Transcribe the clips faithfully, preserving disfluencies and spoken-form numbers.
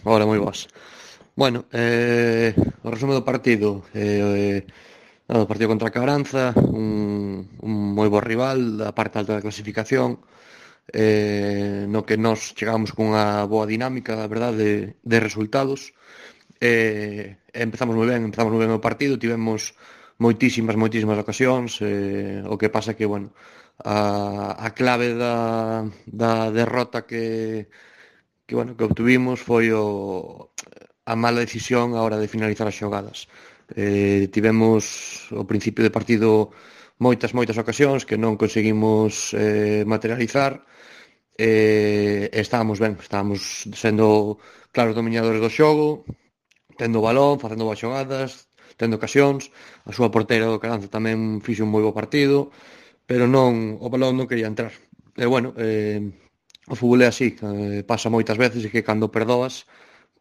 Hola, moi boas. Bueno, eh, o resumo do partido. Eh, eh, o partido contra a Caranza, un, un moi bo rival da parte alta da clasificación, eh, no que nós chegamos cunha boa dinámica, a verdade, de, de resultados. Eh, empezamos moi ben, empezamos moi ben o partido, tivemos moitísimas, moitísimas ocasións, eh, o que pasa que, bueno, a, a clave da, da derrota que que, bueno, que obtuvimos foi o, a mala decisión á hora de finalizar as xogadas. Eh, tivemos ao principio de partido moitas, moitas ocasións que non conseguimos eh, materializar, e eh, estábamos ben, estábamos sendo claros dominadores do xogo, tendo o balón, facendo boas xogadas, tendo ocasións. A súa porteira do Caranza tamén fixo un moi bo partido, pero non, o balón non quería entrar. E bueno, eh, o fútbol é así, eh, pasa moitas veces e que cando perdoas,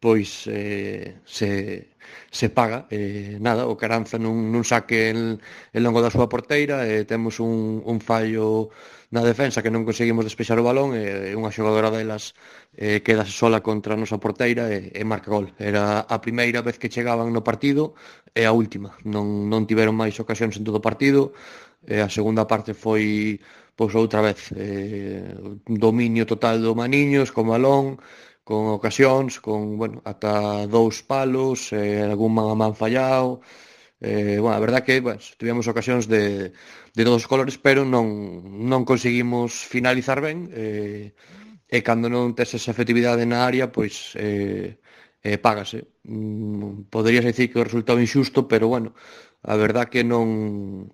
pois eh, se, se paga. Eh, nada, o Caranza nun, nun saque en, en longo da súa porteira, e temos un, un fallo na defensa que non conseguimos despexar o balón, e unha xogadora delas eh, quedase sola contra a nosa porteira e, e marca gol. Era a primeira vez que chegaban no partido e a última. Non, non tiveron máis ocasións en todo o partido. E a segunda parte foi pois outra vez eh, dominio total do Maniños con balón, con ocasións, con, bueno, ata dous palos, eh, algún man a man fallado. Eh, bueno, a verdad que, bueno, tivemos ocasións de, de todos os colores, pero non, non conseguimos finalizar ben, eh, e cando non tes esa efectividade na área, pois eh, eh, págase. Mm, poderías dicir que o resultado injusto, pero bueno, a verdad que non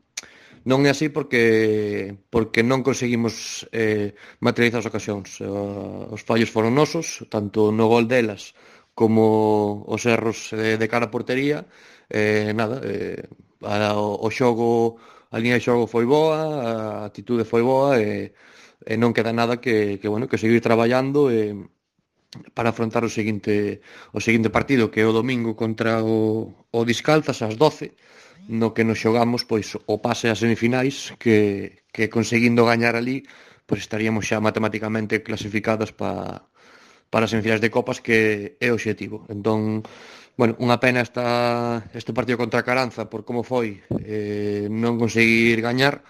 non é así porque porque non conseguimos eh, materializar as ocasións. Uh, os fallos foron nosos, tanto no gol delas como os erros eh, de cara a portería. Eh, nada, eh, a, o, o xogo, a línea de xogo foi boa, a actitude foi boa, e, e non queda nada que, que bueno, que seguir traballando e para afrontar o seguinte o seguinte partido, que é o domingo contra o, o Discalzas ás doce, no que nos xogamos pois o pase ás semifinais, que, que conseguindo gañar ali, pois estaríamos xa matemáticamente clasificados pa, para as semifinais de Copas, que é o obxectivo. Entón, bueno, unha pena esta, este partido contra a Caranza por como foi, eh, non conseguir gañar,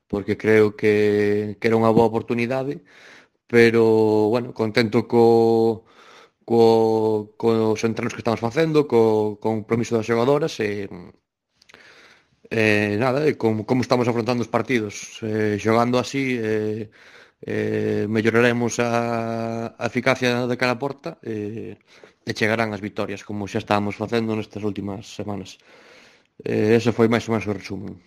porque creo que, que era unha boa oportunidade, pero, bueno, contento co, co, cos entrenos que estamos facendo, co, co compromiso das xogadoras, e, e nada, e como, como estamos afrontando os partidos. Eh, xogando así, eh, eh, melloraremos a, a eficacia de cara a porta, e, e chegarán as vitorias, como xa estábamos facendo nestas últimas semanas. Eh, ese foi máis ou menos o resumen.